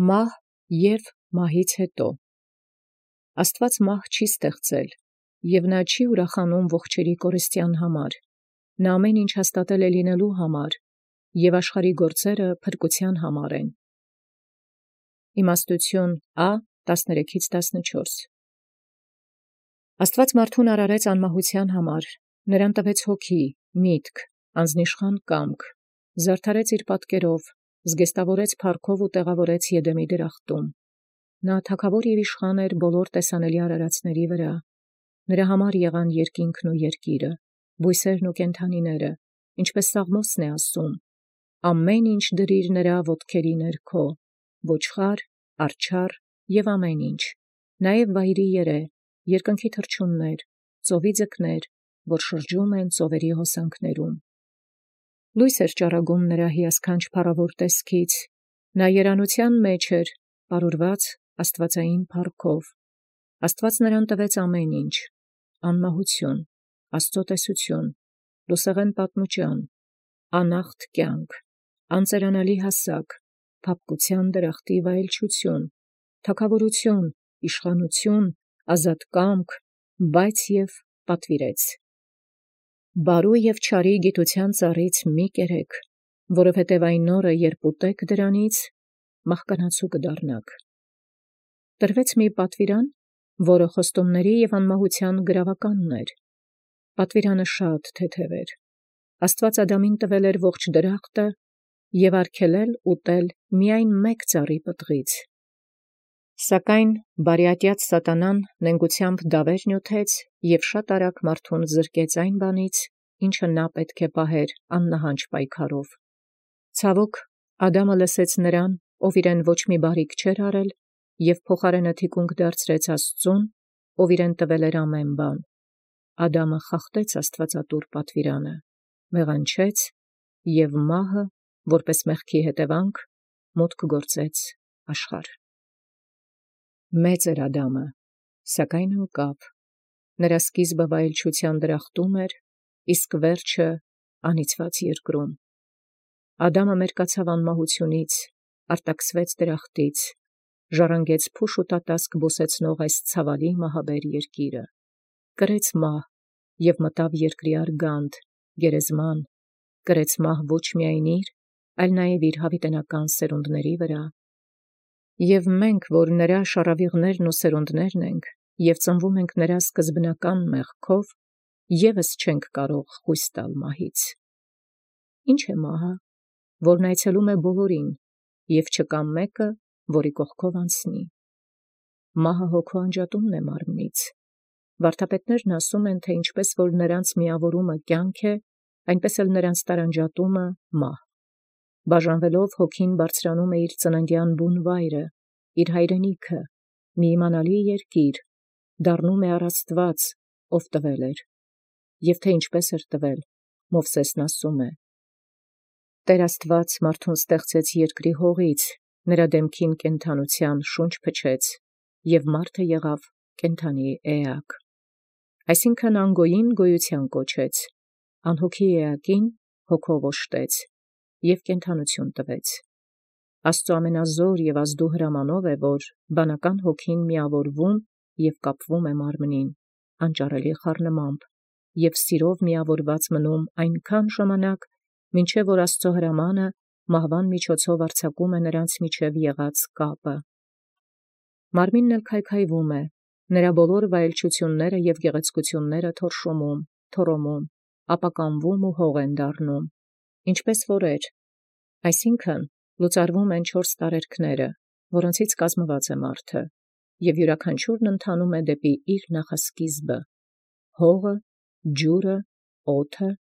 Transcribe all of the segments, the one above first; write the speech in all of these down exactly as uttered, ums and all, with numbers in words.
Մահ և մահից հետո Աստուած մահ չի ստեղծել, և նա չի ուրախանում ողջերի կորստյան համար, նա ամեն ինչ հաստատել է լինելու համար, և աշխարհի գործերը փրկության համար են։ Իմաստություն Ա տասներեքից տասնչորս Աստուած մարդուն արարեց անմահության համար, նրան տվեց հոգի, միտք, անձնիշխան կամք, զարդարեց իր պատկերով, զգեստավորեց փառքով ու տեղավորեց Եդեմի դրախտում։ Նա թագավոր և իշխան էր բոլոր տեսանելի արարածների վրա, նրա համար եղան երկինքն ու երկիրը, բույսերն ու կենդանիները, ինչպես Սաղմոսն է ասում. ամեն ինչ դրիր նրա ոտքերի ներքո, ոչխար, արջառ և ամեն ինչ, նաև վայրի երե, երկնքի թռչուններ, ծովի ձկներ, որ շրջում են ծովերի հոսանքներում։ Լույս էր ճառագում նրա հիասքանչ փառավոր տեսքից, նա երանության մեջ էր, պարուրված աստվածային փառքով։ Աստված նրան տվեց ամեն ինչ. անմահություն, Աստծո տեսություն, լուսեղեն պատմուճան, անախտ կյանք, անծերանալի հասակ, փափկության դրախտի վայելչություն, թագավորություն, իշխանություն, ազատ կամք, բայց և պատվիրեց. բարու և չարի գիտության ծառից մի կերեք, որովհետև այն օրը, երբ ուտեք դրանից, մահկանացու կդառնաք։ Տրվեց մի պատվիրան, որը խոստումների և անմահության գրավականն էր։ Պատվիրանը շատ թեթև էր։ Աստված Ադամին տվել էր ողջ դրախտը և արգելել ուտել միայն մեկ ծառի պտղից։ Սակայն բարիատյաց սատանան նենգությամբ դավեր նյութեց և շատ արագ մարդուն զրկեց այն բանից, ինչը նա պետք է պահեր աննահանջ պայքարով։ Ցավոք, Ադամը լսեց նրան, ով իրեն ոչ մի բարիք չէր արել, և փոխարենը թիկունք դարձրեց Աստծուն, ով իրեն տվել էր ամեն բան։ Ադամը խախտեց աստվածատուր պատվիրանը, մեղանչեց, և մահը, որպես մեղքի հետևանք, մուտք գործեց աշխարհ։ Մեծ էր Ադամը, սակայն ընկավ, նրա սկիզբը վայելչության դրախտում էր, իսկ վերջը անիծված երկրում։ Ադամը մերկացավ անմահությունից, արտաքսվեց դրախտից, ժառանգեց փուշ ու տատասկ բուսեցնող այս ցավալի մահաբեր երկիրը, կրեց մահ և մտավ երկրի արգանդ, գերեզման, կրեց մահ ոչ միայն իր, այլ նաև իր հավիտենական սերունդների վրա։ Եվ մենք, որ նրա շառավիղներն ու սերունդներն ենք, և ծնվում ենք նրա սկզբնական մեղքով, ևս չենք կարող խույս տալ մահից։ Ի՞նչ է մահը, որն այցելում է բոլորին, և չկա մեկը, որի կողքով անցնի։ Մահը հոգու անջատումն է մարմնից։ Վարդապետներն ասում են, թե ինչպես որ նրանց միավորումը կյանք է, այնպես էլ նրանց տարանջատումը մահ։ Բաժանվելով հոգին բարձրանում է իր ծննդյան բուն վայրը, իր հայրենիքը, մի իմանալի երկիր, դառնում է առ Աստված, ով տվել էր, և թե ինչպես էր տվել, Մովսեսն ասում է. Տեր Աստված մարդուն ստեղծեց երկրի հողից, նրա դեմքին կենդանության շունչ փչեց, և մարդը եղավ կենդանի էակ։ Այսինքն անգոյին գոյության կոչեց, անհոգի էակին հոգով օժտեց և կենդանություն տվեց։ Աստծո ամենազոր և ազդու հրամանով է, որ բանական հոգին միավորվում և կապվում է մարմնին, անճարելի խառնմամբ, և սիրով միավորված մնում այնքան ժամանակ, մինչև որ Աստծո հրամանը մահվան միջոցով արձակում է նրանց միջև եղած կապը։ Մարմինն էլ քայքայվում է, նրա բոլոր վայելչությունները և գեղեցկությունները թորշոմում, թոռոմում, ապականվում ու հող են դառնում, ինչպես որեր, այսինքն լուծարվում են չորս տարերքները, որոնցից կազմված է մարդը, և յուրաքանչյուրն ընթանում է դեպի իր նախասկիզբը՝ հողը, ջուրը, օդը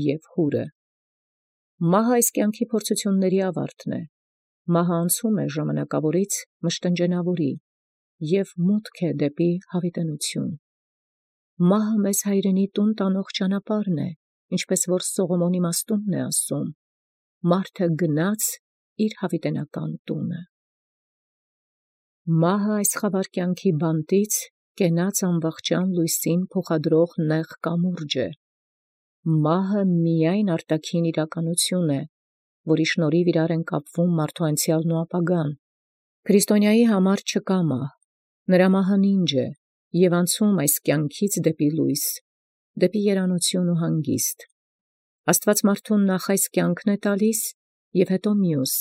և հուրը։ Մահը այս կյանքի փորձությունների ավարտն է։ Մահը անցում է ժամանակավորից մշտնջենավորի և մուտք է դեպի հավիտենություն։ Մահը մեզ հայրենի տուն տանող ճանապարհն է, ինչպես որ Սողոմոն իմաստունն է ասում. մարդը գնաց իր հավիտենական տունը։ Մահը այս խավար կյանքի բանտից կենաց անվախճան լույսին փոխադրող նեղ կամուրջ է։ Մահը միայն արտաքին իրականություն է, որի շնորհիվ իրար են կապվում մարդու անցյալն ու ապագան, Քրիստոնյայի համար չկա մահ, նրա մահը նինջ է, և անցում այս կյանքից դեպի լույս, դեպի երանություն ու հանգիստ։ Աստված մարդուն նախ այս կյանքն է տալիս, և հետո մյուս,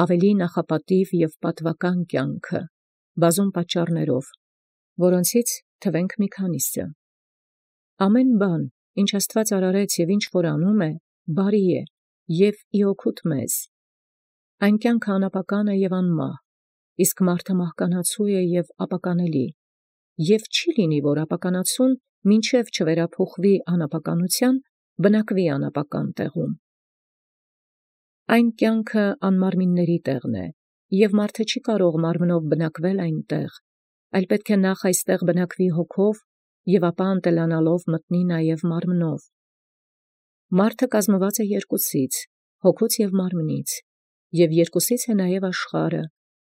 ավելի նախապատիվ և պատվական կյանքը, բազում պատճառներով, որոնցից թվենք մի քանիսը։ Ամեն բան, ինչ Աստված արարեց և ինչ որ անում է, բարի է և ի օգուտ մեզ։ Այն կյանքը անապական է և անմահ, իսկ մարդը մահկանացու է և ապականելի, և չի լինի, որ ապականացուն մինչև չվերափոխվի անապականության, բնակվի անապական տեղում։ Այն կյանքը անմարմինների տեղն է, և մարդը չի կարող մարմնով բնակվել այնտեղ, այլ պետք է նախ այստեղ բնակվի հոգով, և ապա ընտելանալով մտնի նաև մարմնով։ Մարդը կազմված է երկուսից, հոգուց և մարմնից, և երկուսից է նաև աշխարհը,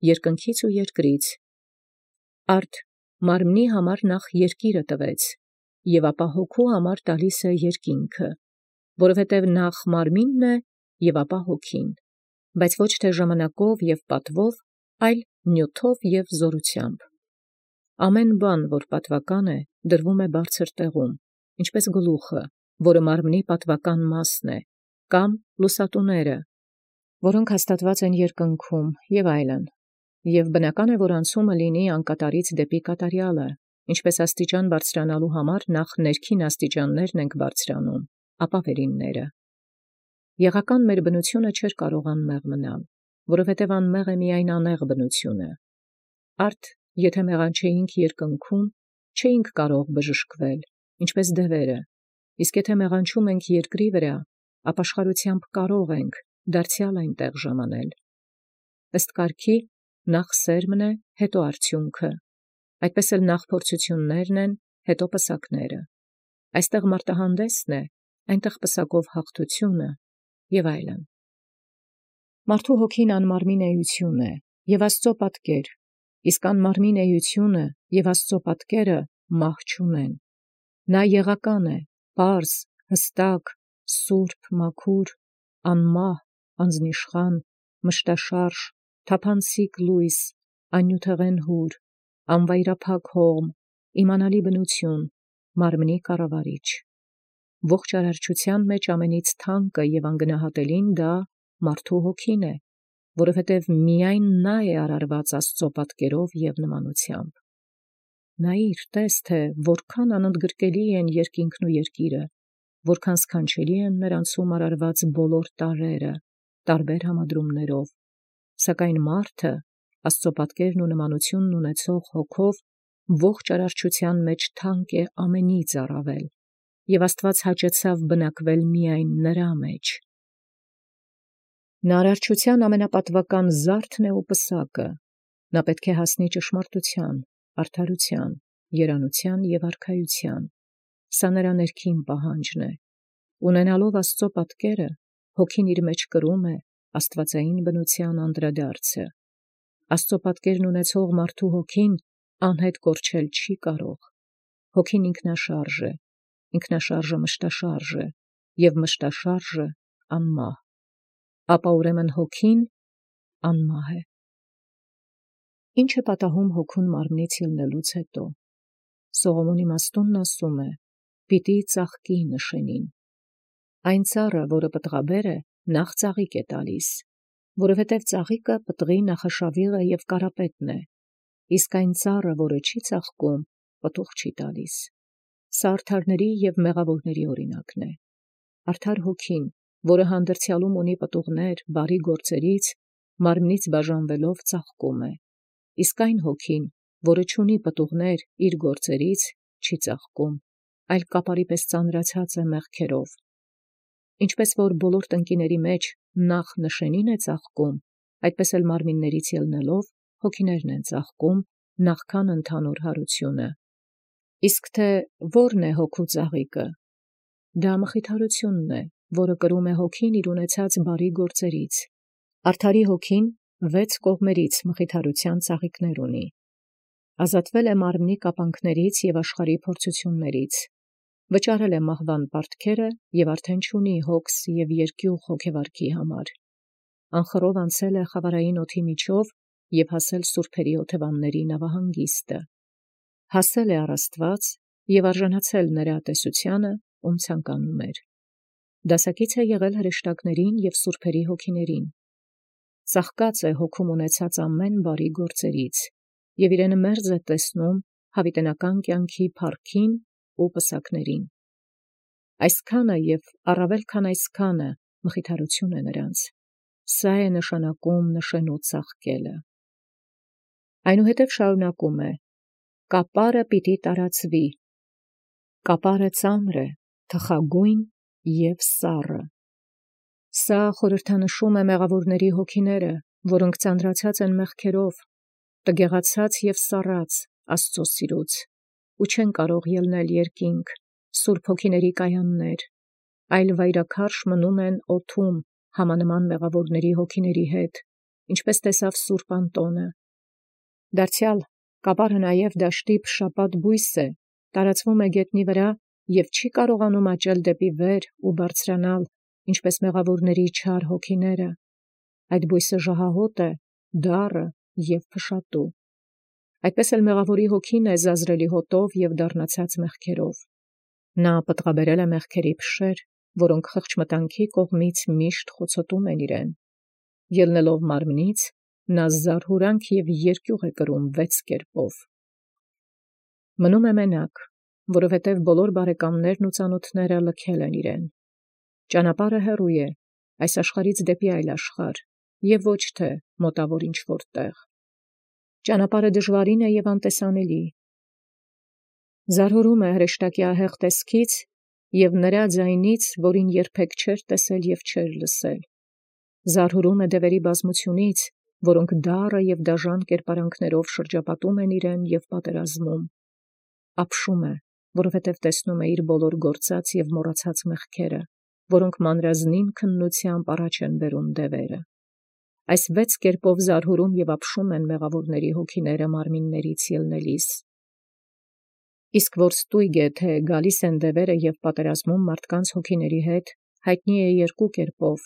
երկնքից ու երկրից։ Արդ մարմնի համար նախ երկիրը տվեց, և ապա հոգու համար տալիս է երկինքը, որովհետև նախ մարմինն է, և ապա հոգին, բայց ոչ թե ժամանակով և պատվով, այլ նյութով և զորությամբ։ Ամեն բան, որ պատվական է, դրվում է բարձր տեղում, ինչպես գլուխը, որը մարմնի պատվական մասն է, կամ լուսատուները, որոնք հաստատված են երկնքում, և այլն, և բնական է, որ անցումը լինի անկատարից դեպի կատարյալը, ինչպես աստիճան բարձրանալու համար նախ ներքին աստիճաններն ենք բարձրանում, ապա վերինները։ Եղական մեր բնությունը չէր կարող անմեղ մնալ, որովհետև անմեղ է միայն անեղ բնությունը։ Արդ եթե մեղանչեինք երկնքում, չէինք կարող բժշկվել, ինչպես դևերը, իսկ եթե մեղանչում ենք երկրի վրա, ապաշխարությամբ կարող ենք դարձյալ այնտեղ ժամանել։ Ըստ կարգի նախ սերմն է, հետո արդյունքը, այդպես էլ նախ փորձություններն են, հետո պսակները։ Այստեղ մարտահանդեսն է, այնտեղ պսակով հաղթությունը և այլն։ Մարդու հոգին անմարմին էություն է և Աստծո պատկեր, իսկ անմարմին էությունը և Աստծո պատկերը մահ չունեն։ Նա եղական է, պարզ, հստակ, սուրբ, մաքուր, անմահ, անձնիշխան, մշտաշարժ, թափանցիկ լույս, աննյութեղեն հուր, անվայրափակ հողմ, իմանալի բնություն, մարմնի կառավարիչ։ Ողջ արարչության մեջ ամենից թանկը և անգնահատելին դա մարդու հոգին է, որովհետև միայն նա է արարված Աստծո պատկերով և նմանությամբ։ Նայիր, տես, թե որքան անընդգրկելի են երկինքն ու երկիրը, որքան սքանչելի են նրանցում արարված բոլոր տարրերը, տարբեր համադրումներով, սակայն մարդը, Աստծո պատկերն ու նմանությունն ունեցող հոգով, ողջ արարչության մեջ թանկ է ամենից առավել, և Աստված հաճեցավ բնակվել միայն նրա մեջ։ Նա արարչության ամենապատվական զարդն է ու պսակը, նա պետք է հասնի ճշմարտության, արդարության, երանության և արքայության, սա նրա ներքին պահանջն է։ Ունենալով Աստծո պատկերը, հոգին իր մեջ կրում է աստվածային բնության անդրադարձը։ Աստծո պատկերն ունեցող մարդու հոգին անհետ կորչել չի կարող։ Հոգին ինքնաշարժ է, ինքնաշարժը մշտաշարժ է, և մշտաշարժը անմահ, ապա ուրեմն հոգին անմահ է։ Ինչ է պատահում հոգուն մարմնից ելնելուց հետո։ Սողոմոն իմաստունն ասում է. «Պիտի ծաղկի նշանին»։ Այն ծառը, որը պտղաբեր է, նախ ծաղիկ է տալիս, որովհետև ծաղիկը պտղի նախաշավիղը և կարապետն է, իսկ այն ծառը, որը չի ծաղկում, պտուղ չի տալիս։ Սա արդարների և մեղավորների օրինակն է։ Արդար հոգին, որը հանդերձյալում ունի պտուղներ բարի գործերից, մարմնից բաժանվելով ծաղկում է, իսկ այն հոգին, որը չունի պտուղներ իր գործերից, չի ծաղկում, այլ կապարի պես ծանրացած է մեղքերով։ Ինչպես որ բոլոր տնկիների մեջ նախ նշանին է ծաղկում, այդպես էլ մարմիններից ելնելով հոգիներն են ծաղկում նախքան ընդհանուր հարությունը։ Իսկ թե ո՞րն է հոգու ծաղիկը։ Դա մխիթարությունն է, որը կրում է հոգին իր ունեցած բարի գործերից։ Արդարի հոգին վեց կողմերից մխիթարության ծաղիկներ ունի։ Ազատվել է մարմնի կապանքներից և աշխարհի փորձություններից, վճարել է մահվան պարտքերը և արդեն չունի հոգս և երկյուղ հոգևարքի համար։ Անխռով անցել է խավարային օդի միջով և հասել սուրբերի օթևանների նավահանգիստը։ Հասել է առ Աստված և արժանացել նրա տեսությանը, ում ցանկանում էր։ Դասակից է եղել հրեշտակներին և սուրբերի հոգիներին։ Ծաղկած է հոգում ունեցած ամեն բարի գործերից և իրենը մերձ է տեսնում հավիտենական կյանքի փառքին ու պսակներին։ Այսքանը և առավել քան այսքանը մխիթարություն է նրանց։ Սա է նշանակում նշեն ու ծաղկելը։ Այնուհետև շարունակում է. կապարը պիտի տարածվի, կապարը ծանր է, թխագույն և սառը։ Սա խորհրդանշում է մեղավորների հոգիները, որոնք ծանրացած են մեղքերով, տգեղացած և սառած Աստծո սիրուց, ու չեն կարող ելնել երկինք, սուրբ հոգիների կայաններ, այլ վայրաքարշ մնում են օդում համանման մեղավորների հոգիների հետ, ինչպես տեսավ սուրբ Անտոնը։ Դարձյալ կապարը նաև դաշտի փշապատ բույս է, տարածվում է գետնի վրա և չի կարողանում աճել դեպի վեր ու բարձրանալ, ինչպես մեղավորների չար հոգիները։ Այդ բույսը ժահահոտ է, դառը և փշատու։ Այդպես էլ մեղավորի հոգին է զազրելի հոտով և դառնացած մեղքերով։ Նա պտղաբերել է մեղքերի փշեր, որոնք խղճմտանքի կողմից միշտ խոցոտում են իրեն։ Ելնելով մարմնից, նա զարհուրանք և երկյուղ է կրում վեց կերպով։ Մնում է մենակ, որովհետև բոլոր բարեկամներն ու ծանոթները լքել են իրեն։ Ճանապարհը հեռու է, այս աշխարհից դեպի այլ աշխարհ, և ոչ թե մոտավոր ինչ-որ տեղ։ Ճանապարհը դժվարին է և անտեսանելի։ Զարհուրում է հրեշտակի ահեղ տեսքից և նրա ձայնից, որին երբեք չէր տեսել և չէր լսել։ Զարհուրում է դևերի բազմությունից, որոնք դառը և դաժան կերպարանքներով շրջապատում են իրեն և պատերազմում։ Ապշում է, որովհետև տեսնում է իր բոլոր գործած և մոռացած մեղքերը, որոնք մանրազնին քննությամբ առաջ են բերում դևերը։ Այս վեց կերպով զարհուրում և ապշում են մեղավորների հոգիները մարմիններից ելնելիս։ Իսկ որ ստույգ է, թե գալիս են դևերը և պատերազմում մարդկանց հոգիների հետ, հայտնի է երկու կերպով։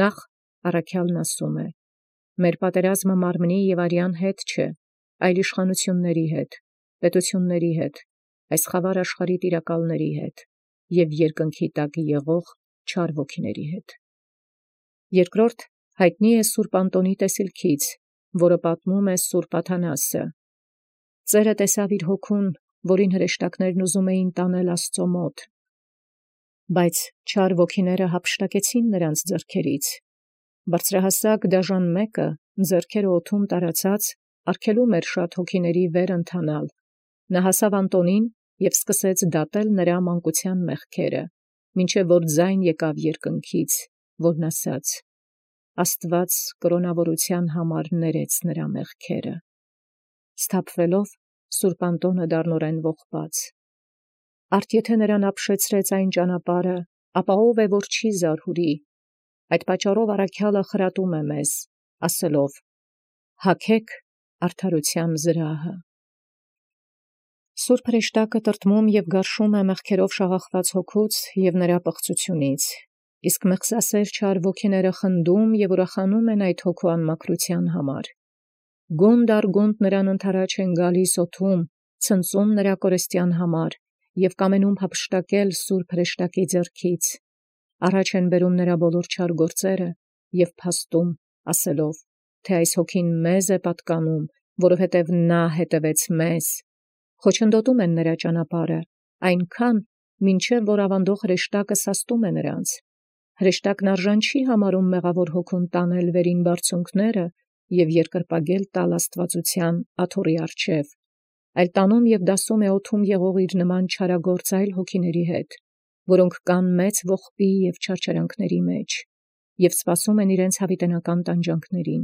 Նախ առաքյալն ասում է. մեր պատերազմը մարմնի և արյան հետ չէ, այլ իշխանությունների հետ, պետությունների հետ, այս խավար աշխարհի տիրակալների հետ և երկնքի տակ եղող չար ոգիների հետ։ Երկրորդ հայտնի է սուրբ Անտոնի տեսիլքից, որը պատմում է սուրբ Աթանասը։ Ծերը տեսավ իր հոգուն, որին հրեշտակներն ուզում էին տանել Աստծո մոտ, բայց չար ոգիները հափշտակեցին նրանց ձեռքերից։ Բարձրահասակ դաժան մեկը, ձեռքերը օդում տարածած, արգելում էր շատ հոգիների վեր ընթանալ։ Նա հասավ Անտոնին և սկսեց դատել նրա մանկության մեղքերը, մինչև որ ձայն եկավ երկնքից, որն ասաց. Աստված կրոնավորության համար ներեց նրա մեղքերը։ Սթափվելով, սուրբ Անտոնը դառնորեն ողբաց։ Արդ եթե նրան ապշեցրեց այն ճանապարհը, ապա ով է, որ չի զարհուրի։ Այդ պատճառով առաքյալը խրատում է մեզ, ասելով. հագեք արդարության զրահը։ Սուրբ հրեշտակը տրտմում և գարշում է մեղքերով շաղախված հոգուց և նրա պղծությունից, իսկ մեղսասեր չար ոգիները խնդում և ուրախանում են այդ հոգու անմաքրության համար։ Գունդ առ գունդ նրան ընդառաջ են գալիս օդում, ցնծում նրա կորստյան համար և կամենում հափշտակել սուրբ հրեշտակի ձեռքից։ Առաջ են բերում նրա բոլոր չար գործերը և փաստում, ասելով, թե այս հոգին մեզ է պատկանում, որովհետև նա հետևեց մեզ։ Խոչընդոտում են նրա ճանապարհը, այնքան, մինչև որ ավանդող հրեշտակը սաստում է նրանց։ Հրեշտակն արժան չի համարում մեղավոր հոգուն տանել վերին բարձունքները և երկրպագել տալ աստվածության աթոռի առջև, այլ տանում և դասում է օդում եղող իր նման չարագործ այլ հոգիների հետ, որոնք կան մեծ ողբի և չարչարանքների մեջ, և սպասում են իրենց հավիտենական տանջանքներին։